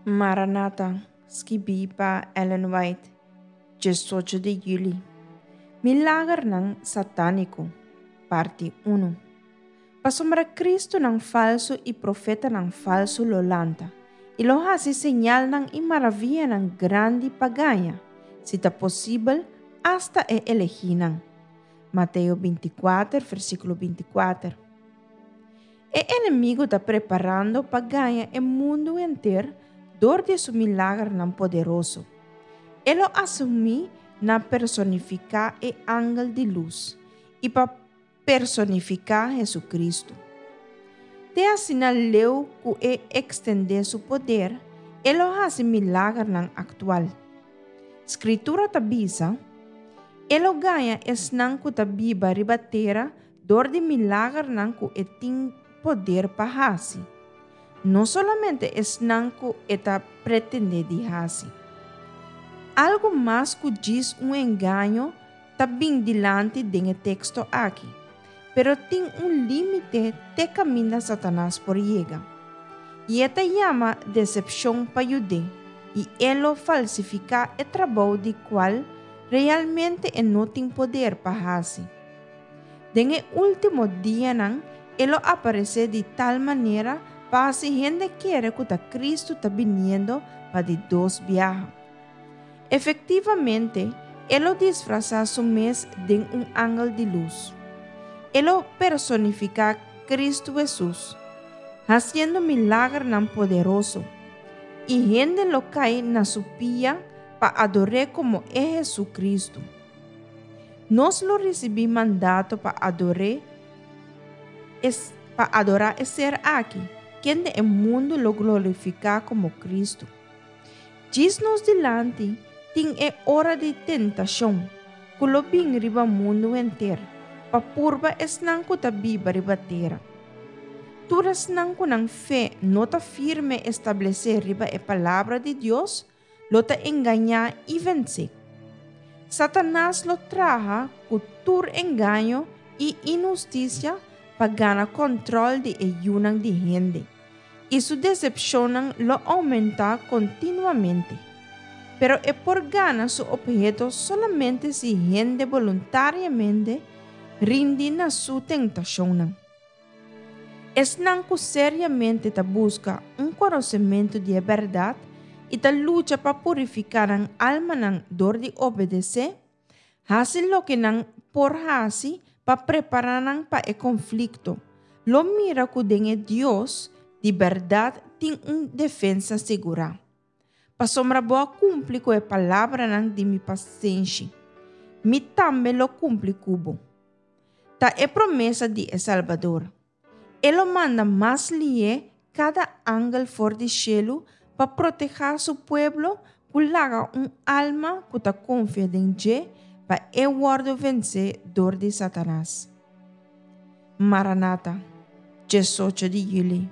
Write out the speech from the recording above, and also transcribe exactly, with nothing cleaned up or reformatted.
Maranata, skibí pa Ellen White, diesocho di yüli. Milagernan satániko, parti un. Pasobra Kristunan falsu i profetanan falsu lo lanta, i lo hasi señalnan i maravianan grandi pa gaña, si ta posibel, asta e elegínan. Mateo binti kuater, versíkulo binti kuater. E enemigu ta preparando pa gaña e mundu henter dor di su milagernan poderoso. E lo asumí na personifiká e angel di lus i pa personifiká Hesukristu. Te asina leu ku e ekstendé su poder, e lo hasi milagernan aktual. Skritura ta bisa, e lo gaña esnan ku ta biba riba tera dor di milagernan ku e tin poder pa hasi. No solamente esnan ku e ta pretendé di hasi. Algu mas ku djis un engaño ta bin dilanti den e teksto aki, pero tin un límite te kaminda Satanas por yega. I e ta yama desepshon pa yud'é, i e lo falsifiká e trabou di kual realmente e no tin poder pa hasi. Den e último dianan, e lo aparesé di tal manera pa hasi hende kere ku ta Kristu ta biniendo pa di dos biaha. Efektivamente, e lo disfrasá su mes den un angel di lus. E lo personifiká Kristu Hesus, hasiendo milagernan poderoso, i hende lo kai na su pia pa ador'é komo e Hesukristu. Nos lo risibí mandato pa ador'é, pa adorá e ser aki, kende e mundu lo glorifiká komo Kristu. Djis nos dilanti tin e ora di tentashon, ku lo bin riba mundu henter, pa purba esnan ku ta biba riba tera. Tur esnan ku nan fe no ta firme establesé riba e palabra di Dios, lo ta engañá i vensé. Satanas lo traha ku tur engaño i inhustisia pa gana kontròl di e yunan di hende, i su desepshonnan lo oumentá kontinuamente. Pero e por gana su opheto solamente si hende boluntariamente rindi na su tentashonnan. Esnan ku seriamente ta buska un konosementu di bèrdat i ta lucha pa purifiká nan almanan dor di obedesé, hasi loke nan por hasi pa prepará nan pa e konflikto. Lo mira ku den Dios di bèrdat tin un defensa sigurá. Pasobra bo a kumpli ku e palabranan di mi pasenshi. Mi tambe lo kumpli ku bo. Ta e promesa di e Salbador. E lo manda mas lihé kada angel for di shelu pa protehá su pueblo ku laga un alma ku ta konfia den dje pa e wòrdu vensé dor di Satanas. Maranata, diesocho di yüli.